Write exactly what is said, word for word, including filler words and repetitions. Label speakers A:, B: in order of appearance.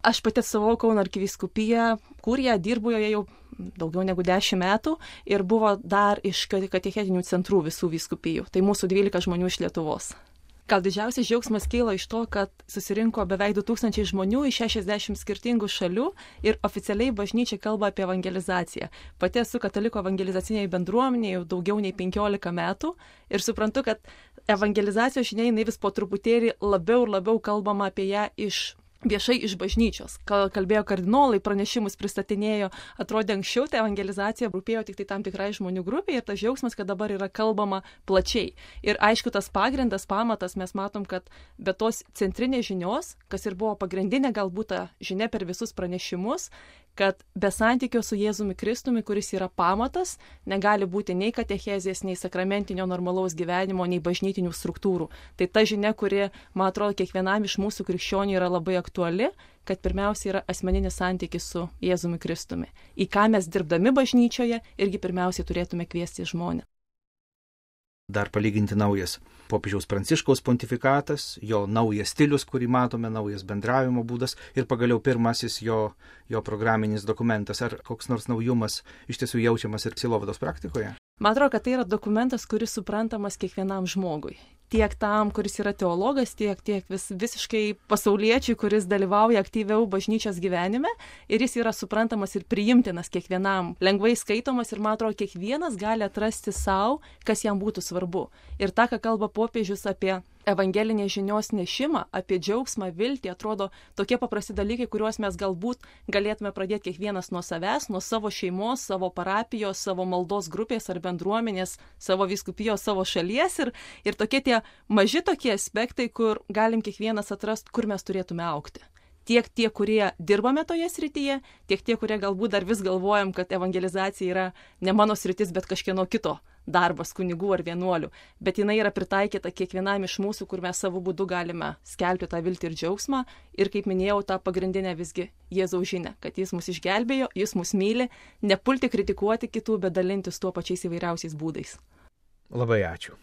A: Aš pati atstovau Kauno arkivyskupiją, kurioje dirbu joje jau daugiau negu dešimt metų ir buvo dar iš katechetinių centrų visų vyskupijų. Tai mūsų dvylika žmonių iš Lietuvos. Gal didžiausias džiaugsmas kyla iš to, kad susirinko beveik du tūkstančiai žmonių iš šešiasdešimt skirtingų šalių ir oficialiai bažnyčia kalba apie evangelizaciją. Pati esu katalikų evangelizaciniai bendruomenė jau daugiau nei penkiolika metų ir suprantu, kad evangelizacijos žinia, jinai vis po truputėlį labiau ir labiau kalbama apie ją iš viešai iš bažnyčios. Kalbėjo kardinolai, pranešimus pristatinėjo, atrodė anksčiau, tai evangelizacija rūpėjo tik tai tam tikrai žmonių grupiai ir tas džiaugsmas, kad dabar yra kalbama plačiai. Ir aišku, tas pagrindas, pamatas, mes matom, kad be tos centrinės žinios, kas ir buvo pagrindinė galbūt ta žinia per visus pranešimus, kad be santykio su Jėzumi Kristumi, kuris yra pamatas, negali būti nei katechezės, nei sakramentinio normalaus gyvenimo, nei bažnytinių struktūrų. Tai ta žinia, kuri, man atrodo, kiekvienam iš mūsų krikščionių yra labai aktuali, kad pirmiausia yra asmeninis santykis su Jėzumi Kristumi. Į ką mes dirbdami bažnyčioje irgi pirmiausiai turėtume kviesti žmonės.
B: Dar palyginti naujas popiežiaus Pranciškaus pontifikatas, jo naujas stilius, kurį matome, naujas bendravimo būdas ir pagaliau pirmasis jo, jo programinis dokumentas. Ar koks nors naujumas iš tiesų jaučiamas ir sielovados praktikoje?
A: Man atrodo, kad tai yra dokumentas, kuris suprantamas kiekvienam žmogui. Tiek tam, kuris yra teologas, tiek, tiek vis, visiškai pasauliečiui, kuris dalyvauja aktyviau bažnyčios gyvenime ir jis yra suprantamas ir priimtinas kiekvienam, lengvai skaitomas ir, man atrodo, kiekvienas gali atrasti savo, kas jam būtų svarbu. Ir tą, ką kalba popiežius apie evangelinės žinios nešimą, apie džiaugsmą, viltį, atrodo tokie paprasti dalykai, kuriuos mes galbūt galėtume pradėti kiekvienas nuo savęs, nuo savo šeimos, savo parapijos, savo maldos grupės ar bendruomenės, savo vyskupijos, savo šalies ir, ir tokie tie maži tokie aspektai, kur galim kiekvienas atrasti, kur mes turėtume augti. Tiek tie, kurie dirbame toje srityje, tiek tie, kurie galbūt dar vis galvojam, kad evangelizacija yra ne mano sritis, bet kažkieno kito darbas, kunigų ar vienuolių. Bet jinai yra pritaikyta kiekvienam iš mūsų, kur mes savo būdu galime skelbti tą viltį ir džiaugsmą. Ir kaip minėjau, tą pagrindinę visgi Jėzaus žinią, kad jis mus išgelbėjo, jis mus myli, nepulti kritikuoti kitų, bet dalintis tuo pačiais įvairiausiais būdais.
B: Labai ačiū.